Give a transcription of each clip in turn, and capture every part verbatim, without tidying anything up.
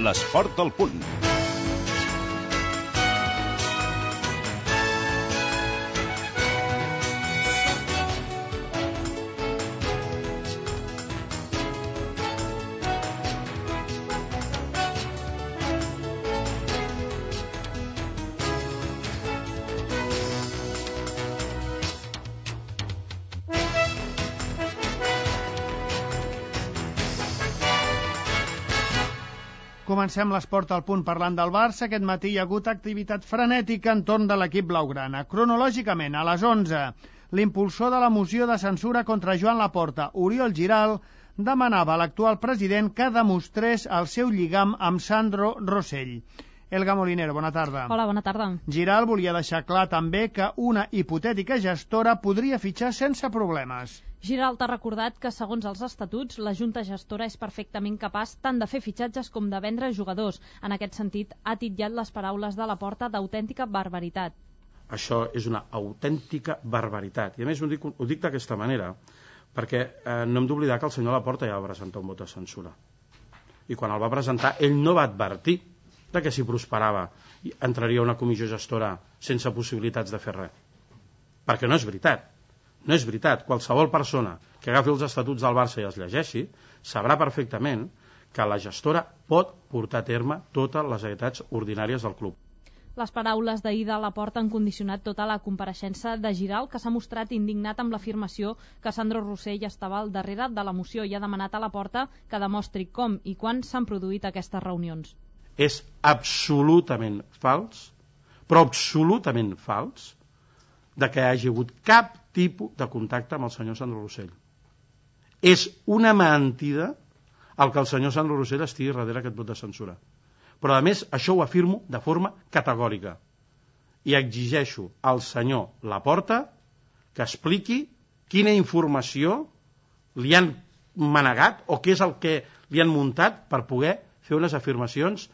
l'esport al punt. Comencem l'esport al punt parlant del Barça. Aquest matí hi ha hagut activitat frenètica entorn de l'equip blaugrana. Cronològicament, a les onze, l'impulsor de la moció de censura contra Joan Laporta, Oriol Giral, demanava a l'actual president que demostrés el seu lligam amb Sandro Rosell. Elga Molinero, bona tarda. Hola, bona tarda. Giral volia deixar clar també que una hipotètica gestora podria fitxar sense problemes. Giral t'ha recordat que, segons els estatuts, la Junta Gestora és perfectament capaç tant de fer fitxatges com de vendre jugadors. En aquest sentit, ha titllat les paraules de Laporta d'autèntica barbaritat. Això és una autèntica barbaritat. I a més ho dic, ho dic d'aquesta manera, perquè eh, no hem d'oblidar que el senyor Laporta ja va presentar un vot de censura. I quan el va presentar, ell no va advertir de que si prosperava entraria una comissió gestora sense possibilitats de fer res. Perquè no és veritat. No és veritat. Qualsevol persona que agafi els estatuts del Barça i els llegeixi sabrà perfectament que la gestora pot portar a terme totes les activitats ordinàries del club. Les paraules d'ahir de Laporta han condicionat tota la compareixença de Giral, que s'ha mostrat indignat amb l'afirmació que Sandro Rosell estava al darrere de la moció i ha demanat a Laporta que demostri com i quan s'han produït aquestes reunions. És absolutament fals, però absolutament fals, de que hi hagi hagut cap tipus de contacte amb el senyor Sandro Rosell. És una mentida el que el senyor Sandro Rosell estigui darrere aquest vot de censura. Però, a més, això ho afirmo de forma categòrica. I exigeixo al senyor Laporta que expliqui quina informació li han manegat o què és el que li han muntat per poder fer unes afirmacions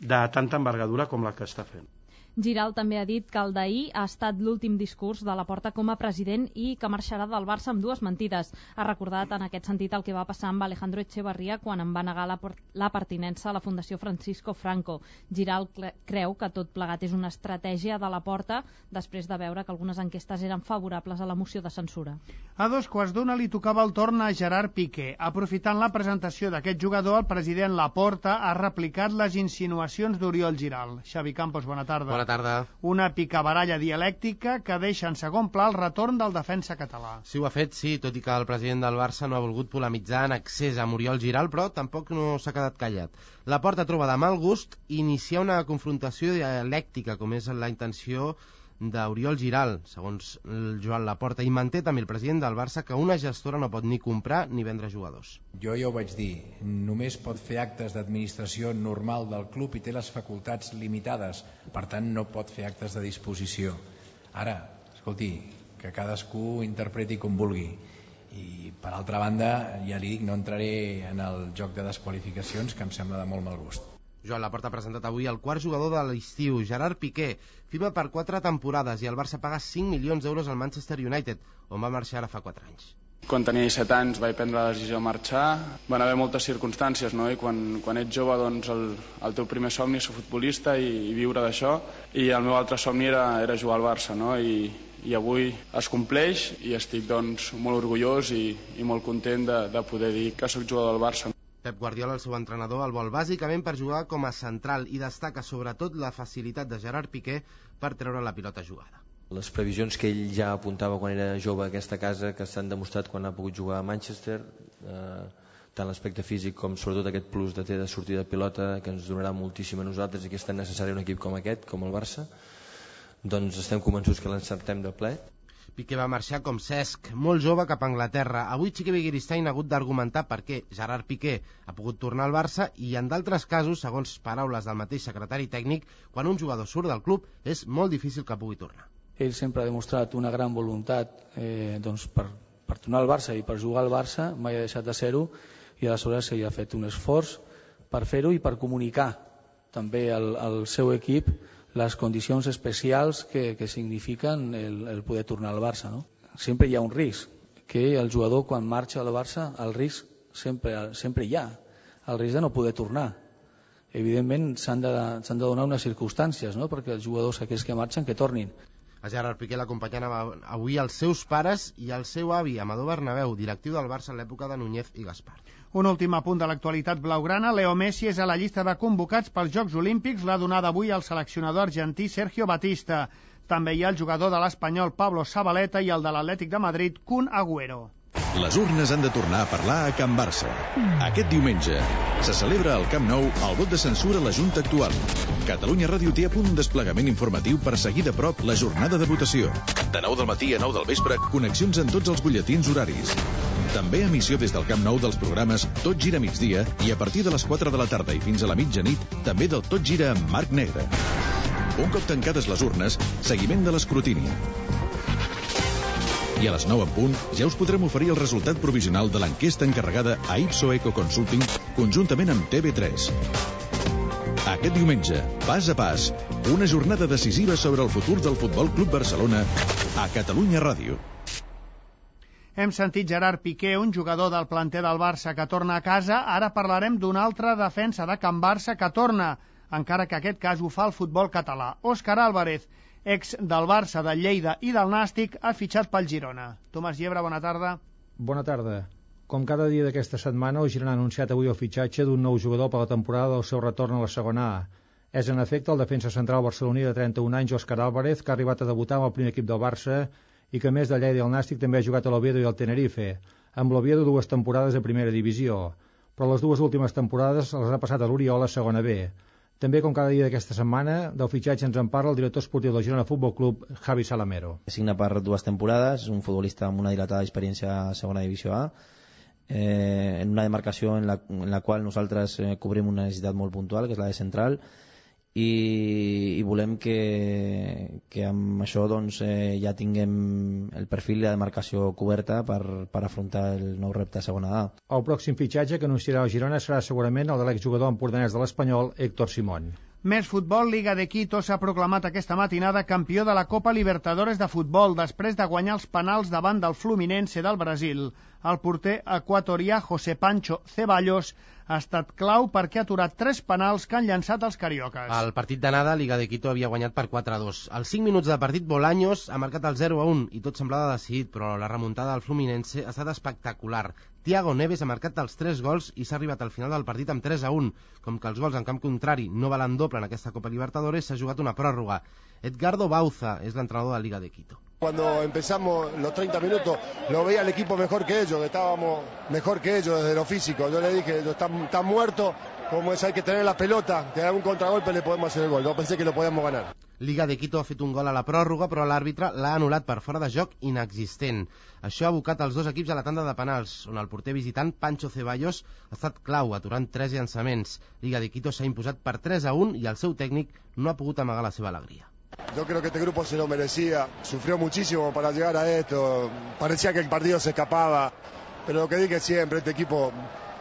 de tanta envergadura com la que està fent. Giral també ha dit que el d'ahir ha estat l'últim discurs de Laporta com a president i que marxarà del Barça amb dues mentides. Ha recordat en aquest sentit el que va passar amb Alejandro Echevarría quan en va negar la, la pertinença a la Fundació Francisco Franco. Giral creu que tot plegat és una estratègia de Laporta després de veure que algunes enquestes eren favorables a la moció de censura. A dos quarts d'una li tocava el torn a Gerard Piqué. Aprofitant la presentació d'aquest jugador, el president Laporta ha replicat les insinuacions d'Oriol Giral. Xavi Campos, bona tarda. Bona tarda. Una picabaralla dialèctica que deixa en segon pla el retorn del defensa català. Sí, ho ha fet, sí, tot i que el president del Barça no ha volgut polemitzar en excés amb Oriol Giral, però tampoc no s'ha quedat callat. Laporta troba de mal gust iniciar una confrontació dialèctica, com és la intenció d'Oriol Giral, segons el Joan Laporta, i manté també el president del Barça que una gestora no pot ni comprar ni vendre jugadors. Jo ja ho vaig dir, només pot fer actes d'administració normal del club i té les facultats limitades, per tant no pot fer actes de disposició. Ara, escolti, que cadascú interpreti com vulgui. I per altra banda, ja li dic, no entraré en el joc de desqualificacions que em sembla de molt mal gust. Joan Laporta ha presentat avui el quart jugador de l'estiu, Gerard Piqué. Firma per quatre temporades i el Barça paga cinc milions d'euros al Manchester United, on va marxar ara fa quatre anys. Quan tenia set anys vaig prendre la decisió de marxar. Van haver moltes circumstàncies, no? I quan, quan ets jove, doncs el, el teu primer somni és ser futbolista i, i viure d'això. I el meu altre somni era, era jugar al Barça, no? I, i avui es compleix i estic doncs, molt orgullós i, i molt content de, de poder dir que soc jugador del Barça. Pep Guardiola, el seu entrenador, el vol bàsicament per jugar com a central i destaca sobretot la facilitat de Gerard Piqué per treure la pilota jugada. Les previsions que ell ja apuntava quan era jove a aquesta casa, que s'han demostrat quan ha pogut jugar a Manchester, eh, tant l'aspecte físic com sobretot aquest plus de té de sortida de pilota que ens donarà moltíssim a nosaltres i que és tan necessari un equip com aquest, com el Barça, doncs estem convençuts que l'encertem de ple. Piqué va marxar com Cesc, molt jove, cap a Anglaterra. Avui Xiqui Begiristain ha hagut d'argumentar per què Gerard Piqué ha pogut tornar al Barça i en d'altres casos, segons paraules del mateix secretari tècnic, quan un jugador surt del club és molt difícil que pugui tornar. Ell sempre ha demostrat una gran voluntat eh, doncs per, per tornar al Barça i per jugar al Barça, mai ha deixat de ser-ho i aleshores ell ha fet un esforç per fer-ho i per comunicar també al, al seu equip les condicions especials que, que signifiquen el, el poder tornar al Barça, no? Sempre hi ha un risc, que el jugador quan marxa al Barça, el risc sempre, sempre hi ha, el risc de no poder tornar. evidentment s'han de, s'han de donar unes circumstàncies, no?, perquè els jugadors aquells que marxen que tornin. A Gerard Piqué l'acompanyen avui els seus pares i el seu avi, Amador Bernabéu, directiu del Barça en l'època de Núñez i Gaspar. Un últim apunt de l'actualitat blaugrana. Leo Messi és a la llista de convocats pels Jocs Olímpics, l'ha donada avui el seleccionador argentí Sergio Batista. També hi ha el jugador de l'Espanyol Pablo Zabaleta i el de l'Atlètic de Madrid Kun Agüero. Les urnes han de tornar a parlar a Can Barça. Aquest diumenge se celebra al Camp Nou el vot de censura a la Junta actual. Catalunya Ràdio té a punt un desplegament informatiu per seguir de prop la jornada de votació. De nou del matí a nou del vespre, connexions en tots els butlletins horaris. També emissió des del Camp Nou dels programes Tot gira a migdia i a partir de les quatre de la tarda i fins a la mitjanit, també del Tot gira amb Marc Negre. Un cop tancades les urnes, seguiment de l'escrutini. I a les nou en punt ja us podrem oferir el resultat provisional de l'enquesta encarregada a Ipso Eco Consulting conjuntament amb T V tres. Aquest diumenge, pas a pas, una jornada decisiva sobre el futur del Futbol Club Barcelona a Catalunya Ràdio. Hem sentit Gerard Piqué, un jugador del planter del Barça que torna a casa. Ara parlarem d'una altra defensa de Can Barça que torna, encara que aquest cas ho fa el futbol català. Òscar Álvarez, ex del Barça, del Lleida i del Nàstic, ha fitxat pel Girona. Tomàs Llebre, bona tarda. Bona tarda. Com cada dia d'aquesta setmana, el Girona ha anunciat avui el fitxatge d'un nou jugador per la temporada del seu retorn a la segona A. És, en efecte, el defensa central barceloní de trenta-un anys, Òscar Álvarez, que ha arribat a debutar amb el primer equip del Barça i que, a més de Lleida i el Nàstic, també ha jugat a l'Oviedo i al Tenerife, amb l'Oviedo dues temporades a primera divisió, però les dues últimes temporades les ha passat a l'Oriol a segona B. També, com cada dia d'aquesta setmana, del fitxatge ens en parla el director esportiu del Girona Futbol Club, Javi Salamero. Signa per dues temporades, és un futbolista amb una dilatada experiència a segona divisió A, eh, en una demarcació en la, en la qual nosaltres eh, cobrim una necessitat molt puntual, que és la de central, i, i volem que, que amb això doncs, eh, ja tinguem el perfil i la demarcació coberta per, per afrontar el nou repte a segona A. El pròxim fitxatge que anunciarà el Girona serà segurament el de l'exjugador empordanès de l'Espanyol, Héctor Simón. Més futbol. Liga de Quito s'ha proclamat aquesta matinada campió de la Copa Libertadores de futbol després de guanyar els penals davant del Fluminense del Brasil. El porter equatorià José Pancho Ceballos ha estat clau perquè ha aturat tres penals que han llançat els cariocas. El partit d'anada, Liga de Quito havia guanyat per quatre a dos. Als cinc minuts de partit, Bolaños ha marcat el zero a un i tot semblava decidit, però la remuntada del Fluminense ha estat espectacular. Thiago Neves ha marcat els tres gols i s'ha arribat al final del partit amb tres a un. Com que els gols en camp contrari no valen doble en aquesta Copa Libertadores, s'ha jugat una pròrroga. Edgardo Bauza es el entrenador de la Liga de Quito. Cuando empezamos los treinta minutos, lo veía el equipo mejor que ellos, que estábamos mejor que ellos desde lo físico. Yo le dije, están, están muertos, como es, hay que tener la pelota, que haga un contragolpe le podemos hacer el gol. No pensé que lo podíamos ganar. Liga de Quito ha fet un gol a la pròrroga, però l'àrbitre l'ha anul·lat per fora de joc inexistent. Això ha abocat els dos equips a la tanda de penals, on el porter visitant Pancho Ceballos ha estat clau, aturant tres llançaments. Liga de Quito s'ha imposat per tres a un i el seu tècnic no ha pogut amagar la seva alegria. Yo creo que este grupo se lo merecía, sufrió muchísimo para llegar a esto, parecía que el partido se escapaba, pero lo que dije siempre, este equipo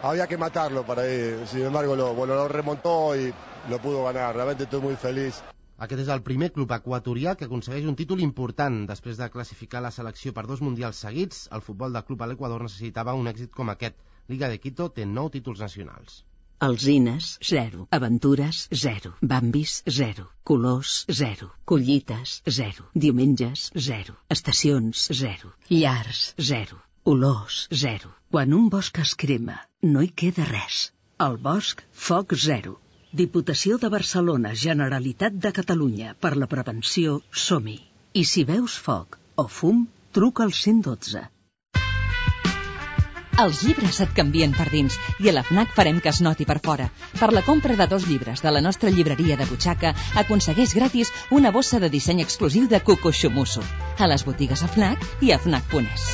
había que matarlo para ir, sin embargo lo, bueno, lo remontó y lo pudo ganar, realmente estoy muy feliz. Aquest és el primer club equatorià que aconsegueix un títol important. Després de classificar la selecció per dos mundials seguits, el futbol del club a l'Equador necessitava un èxit com aquest. Liga de Quito té nou títols nacionals. Alzines, zero. Aventures, zero. Bambis, zero. Colors, zero. Collites, zero. Diumenges, zero. Estacions, zero. Llars, zero. Olors, zero. Quan un bosc es crema, no hi queda res. Al bosc, foc zero. Diputació de Barcelona, Generalitat de Catalunya, per la prevenció, som-hi. I si veus foc o fum, truca al cent dotze. Els llibres et canvien per dins i a la FNAC farem que es noti per fora. Per la compra de dos llibres de la nostra llibreria de butxaca, aconsegueix gratis una bossa de disseny exclusiu de Cuco Xumusso. A les botigues a FNAC i a FNAC punt es.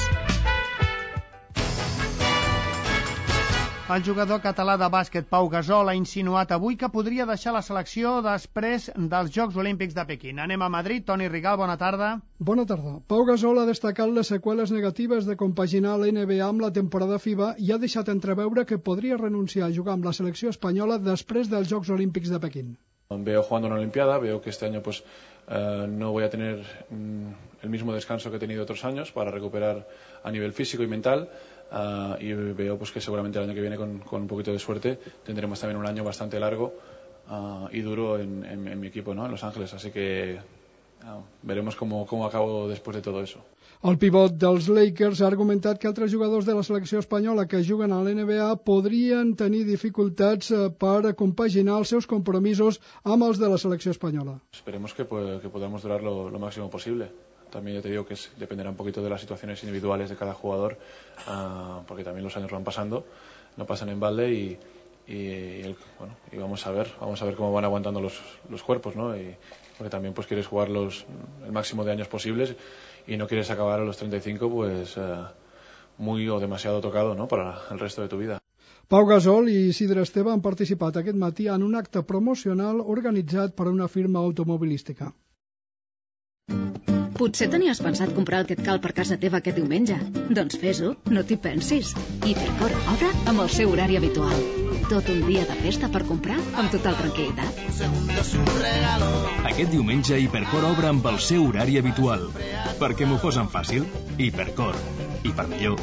El jugador català de bàsquet Pau Gasol ha insinuat avui que podria deixar la selecció després dels Jocs Olímpics de Pequín. Anem a Madrid. Toni Rigal, bona tarda. Bona tarda. Pau Gasol ha destacat les seqüeles negatives de compaginar la N B A amb la temporada FIBA i ha deixat entreveure que podria renunciar a jugar amb la selecció espanyola després dels Jocs Olímpics de Pequín. Veo jugando una Olimpiada, veo que este año pues uh, no voy a tener mm, el mismo descanso que he tenido otros años para recuperar a nivel físico y mental. Uh, y veo pues que seguramente el año que viene con, con un poquito de suerte tendremos también un año bastante largo uh, y duro en, en, en mi equipo, ¿no? En Los Ángeles, así que uh, veremos cómo, cómo acabo después de todo eso. El pivot dels Lakers ha argumentat que altres jugadors de la selecció espanyola que juguen a l'N B A podrien tenir dificultats per compaginar els seus compromisos amb els de la selecció espanyola. Esperemos que, pues, que podamos durar lo, lo máximo posible. También ya te digo que es, dependerá un poquito de las situaciones individuales de cada jugador, uh, porque también los años van pasando, no pasan en balde y, y, y, el, bueno, y vamos a ver, vamos a ver cómo van aguantando los, los cuerpos, ¿no? Y, porque también pues quieres jugar los, el máximo de años posibles y no quieres acabar a los treinta y cinco pues uh, muy o demasiado tocado, ¿no? Para el resto de tu vida. Pau Gasol i Isidre Esteve han participat aquest matí en un acte promocional organitzat per una firma automobilística. Potser tenies pensat comprar el que et cal per casa teva aquest diumenge? Doncs fes-ho, no t'hi pensis. Hipercor obre amb el seu horari habitual. Tot un dia de festa per comprar amb total tranquil·litat. Aquest diumenge Hipercor obre amb el seu horari habitual. Perquè m'ho posen fàcil? Hipercor. I per millor.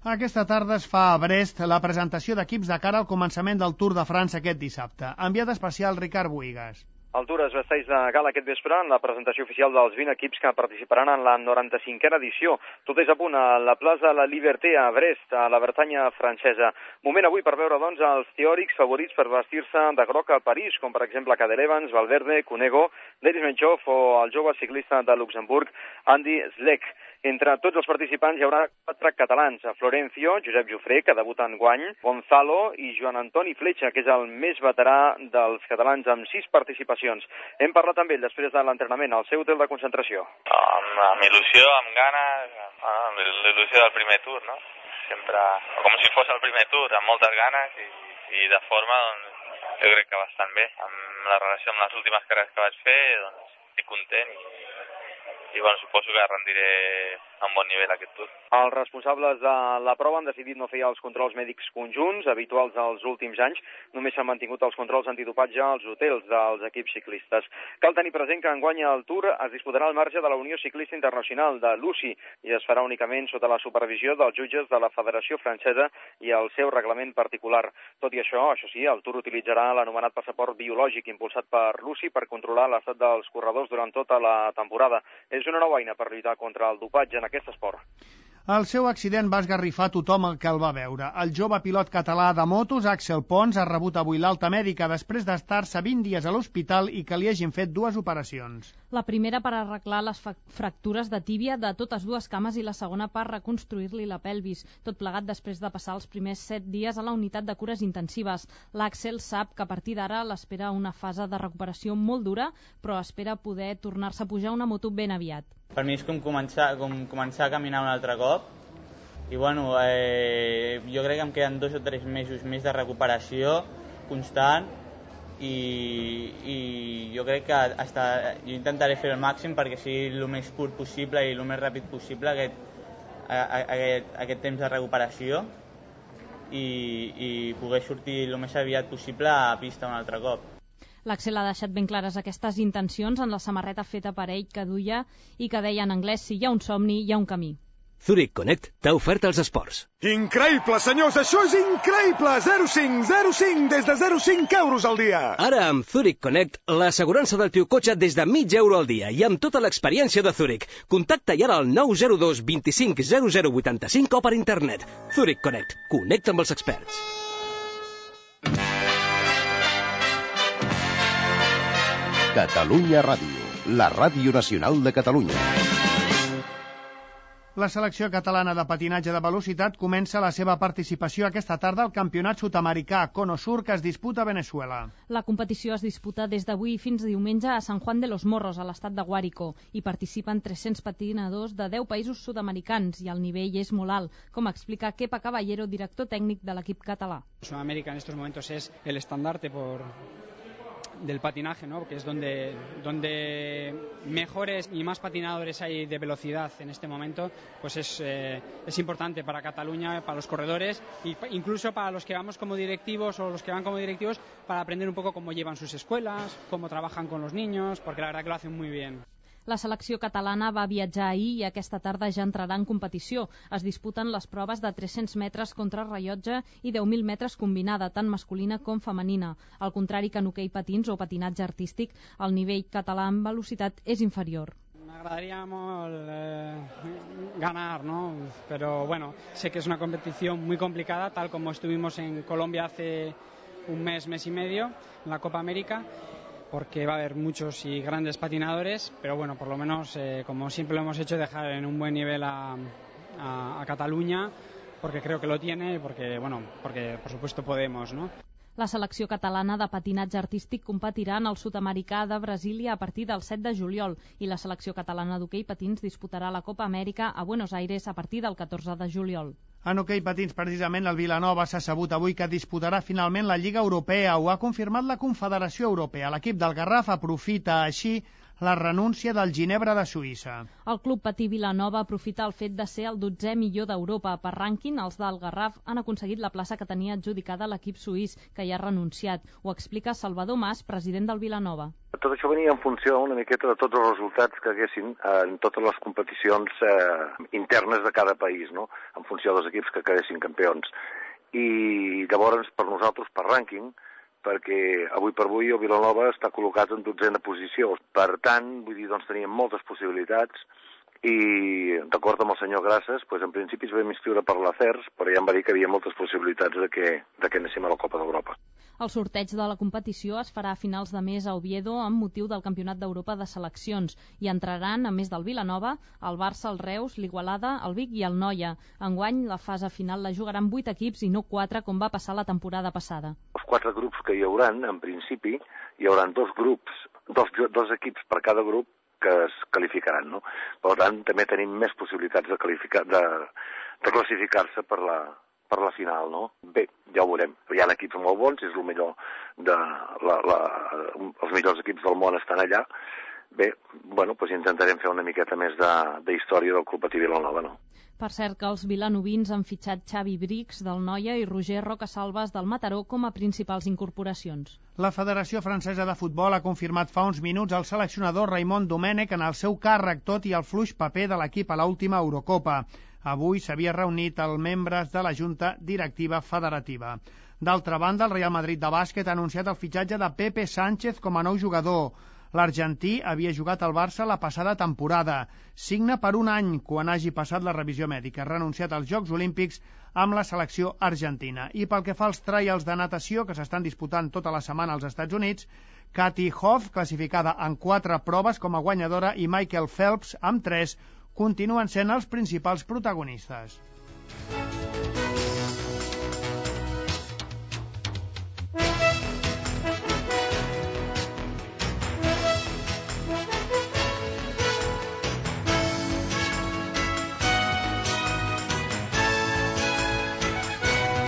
Aquesta tarda es fa a Brest la presentació d'equips de cara al començament del Tour de França aquest dissabte. Enviat especial Ricard Boigas. El Tour es vesteix de gala aquest vespre en la presentació oficial dels vint equips que participaran en la noranta-cinquena edició. Tot és a punt a la plaça La Liberté a Brest, a la Bretanya francesa. Moment avui per veure, doncs, els teòrics favorits per vestir-se de groc a París, com per exemple Cadel Evans, Valverde, Cunego, Denis Menchov o el jove ciclista de Luxemburg, Andy Schleck. Entre tots els participants hi haurà quatre catalans, Florencio, Josep Jofré, que debuta enguany, Gonzalo i Joan Antoni Fletxa, que és el més veterà dels catalans amb sis participacions. Hem parlat amb ell després de l'entrenament al seu hotel de concentració. Amb, amb il·lusió, amb ganes, amb l'il·lusió del primer Tour, no? Sempre com si fos el primer Tour, amb moltes ganes i, i de forma, doncs, jo crec que bastant bé. Amb la relació amb les últimes carreres que vaig fer, doncs, estic content i i bueno, suposo que rendiré a un bon nivell aquest Tour. Els responsables de la prova han decidit no fer els controls mèdics conjunts habituals dels últims anys. Només s'han mantingut els controls antidopatge als hotels dels equips ciclistes. Cal tenir present que enguany el Tour es disputarà al marge de la Unió Ciclista Internacional de l'U C I i es farà únicament sota la supervisió dels jutges de la Federació Francesa i el seu reglament particular. Tot i això, això sí, el Tour utilitzarà l'anomenat passaport biològic impulsat per l'U C I per controlar l'estat dels corredors durant tota la temporada. És una nova eina per lluitar contra el dopatge en aquest esport. El seu accident va esgarrifar tothom el que el va veure. El jove pilot català de motos, Axel Pons, ha rebut avui l'alta mèdica després d'estar-se vint dies a l'hospital i que li hagin fet dues operacions. La primera per arreglar les fractures de tíbia de totes dues cames i la segona per reconstruir-li la pelvis, tot plegat després de passar els primers set dies a la unitat de cures intensives. L'Axel sap que a partir d'ara l'espera una fase de recuperació molt dura, però espera poder tornar-se a pujar una moto ben aviat. Per mi és com començar, com començar a caminar un altre cop i bueno, eh, jo crec que em queden dos o tres mesos més de recuperació constant i, i jo crec que hasta, jo intentaré fer el màxim perquè sigui el més curt possible i el més ràpid possible aquest, aquest, aquest temps de recuperació i, i poder sortir el més aviat possible a pista un altre cop. L'Axel ha deixat ben clares aquestes intencions en la samarreta feta per ell que duia i que deia en anglès: si hi ha un somni, hi ha un camí. Zurich Connect t'ha ofert els esports. Increïble, senyors, això és increïble! zero coma cinc, zero coma cinc, des de zero coma cinc euros al dia. Ara amb Zurich Connect, l'assegurança del teu cotxe des de mig euro al dia i amb tota l'experiència de Zurich. Contacta ja al nou zero dos vint cinc zero zero vuitanta-cinc o per internet. Zurich Connect, connecta amb els experts. Catalunya Ràdio, la ràdio nacional de Catalunya. La selecció catalana de patinatge de velocitat comença la seva participació aquesta tarda al campionat sud-americà Cono Sur que es disputa a Venezuela. La competició es disputa des d'avui fins diumenge a San Juan de los Morros, a l'estat de Guárico. Hi participen tres-cents patinadors de deu països sud-americans i el nivell és molt alt, com explica Kepa Caballero, director tècnic de l'equip català. Sudamérica en estos momentos es el estandarte por... del patinaje, ¿no? Que es donde, donde mejores y más patinadores hay de velocidad en este momento, pues es, eh, es importante para Cataluña, para los corredores e incluso para los que vamos como directivos o los que van como directivos para aprender un poco cómo llevan sus escuelas, cómo trabajan con los niños, porque la verdad que lo hacen muy bien. La selecció catalana va viatjar ahir i aquesta tarda ja entrarà en competició. Es disputen les proves de tres-cents metres contra rellotge i deu mil metres combinada, tant masculina com femenina. Al contrari que en hoquei patins o patinatge artístic, el nivell català en velocitat és inferior. M'agradaria molt eh, ganar, ¿no? Pero bueno, sé que es una competición muy complicada, tal como estuvimos en Colombia hace un mes, mes y medio, en la Copa América, porque va a haber muchos y grandes patinadores, pero bueno, por lo menos, eh, como siempre lo hemos hecho, dejar en un buen nivel a, a, a Cataluña, porque creo que lo tiene, porque, bueno, porque por supuesto podemos, ¿no? La selecció catalana de patinatge artístic competirà en el sud-americà de Brasília a partir del set de juliol i la selecció catalana d'hoquei patins disputarà la Copa Amèrica a Buenos Aires a partir del catorze de juliol. En hoquei patins, precisament, el Vilanova s'ha sabut avui que disputarà finalment la Lliga Europea. Ho ha confirmat la Confederació Europea. L'equip del Garraf aprofita així la renúncia del Ginebra de Suïssa. El club patí Vilanova aprofita el fet de ser el dotzè millor d'Europa. Per rànquing, els del Garraf han aconseguit la plaça que tenia adjudicada l'equip suís, que ja ha renunciat. Ho explica Salvador Mas, president del Vilanova. Tot això venia en funció una miqueta de tots els resultats que haguessin en totes les competicions eh, internes de cada país, no? En funció dels equips que quedessin campions. I llavors, per nosaltres, per rànquing, perquè avui per avui el Vilanova està col·locat en dotzena posició. Per tant, vull dir, doncs teníem moltes possibilitats i, d'acord amb el senyor Grasses, doncs en principi es vam inscriure per l'A C E R S, però ja em va dir que hi havia moltes possibilitats de que, de que anéssim a la Copa d'Europa. El sorteig de la competició es farà a finals de mes a Oviedo amb motiu del Campionat d'Europa de Seleccions i entraran, a més del Vilanova, el Barça, el Reus, l'Igualada, el Vic i el Noia. Enguany, la fase final la jugaran vuit equips i no quatre, com va passar la temporada passada. Els quatre grups que hi hauran, en principi, hi haurà dos grups, dos, dos equips per cada grup que es qualificaran, no? Per tant, també tenim més possibilitats de, qualificar, de, de classificar-se per la, per la final, no? Bé, ja ho veurem. Hi ha equips molt bons, és el millor de la, la, els millors equips del món estan allà. Bé, bueno, doncs intentarem fer una miqueta més de, de història del Club Patí Vilanova, no? Per cert que els vilanovins han fitxat Xavi Brix del Noia i Roger Rocasalves del Mataró com a principals incorporacions. La Federació Francesa de Futbol ha confirmat fa uns minuts el seleccionador Raymond Domènech en el seu càrrec, tot i el fluix paper de l'equip a l'última Eurocopa. Avui s'havia reunit els membres de la Junta Directiva Federativa. D'altra banda, el Real Madrid de bàsquet ha anunciat el fitxatge de Pepe Sánchez com a nou jugador. L'argentí havia jugat al Barça la passada temporada. Signa per un any quan hagi passat la revisió mèdica. Ha renunciat als Jocs Olímpics amb la selecció argentina. I pel que fa als trials de natació que s'estan disputant tota la setmana als Estats Units, Katie Hoff, classificada en quatre proves com a guanyadora, i Michael Phelps, amb tres, continuen sent els principals protagonistes.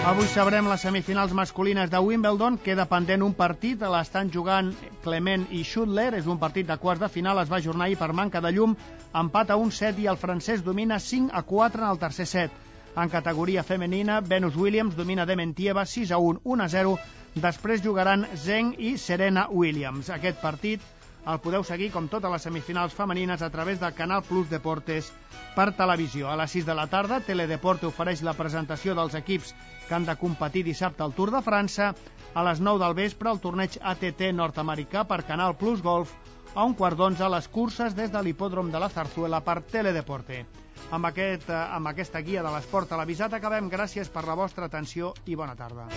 Avui sabrem les semifinals masculines de Wimbledon. Queda pendent un partit, l'estan jugant Clement i Schudler. És un partit de quarts de final, es va ajornar ahir per manca de llum. Empat a un set i el francès domina cinc a quatre en el tercer set. En categoria femenina, Venus Williams domina Dementieva sis a un, un a zero. Després jugaran Zheng i Serena Williams. Aquest partit el podeu seguir, com totes les semifinals femenines, a través del Canal Plus Deportes per televisió. A les sis de la tarda, Teledeporte ofereix la presentació dels equips que han de competir dissabte al Tour de França. A les nou del vespre, el torneig A T T nord-americà per Canal Plus Golf. A un quart d'onze, les curses des de l'hipòdrom de la Zarzuela per Teledeporte. Amb, aquest, amb aquesta guia de l'esport televisat acabem. Gràcies per la vostra atenció i bona tarda.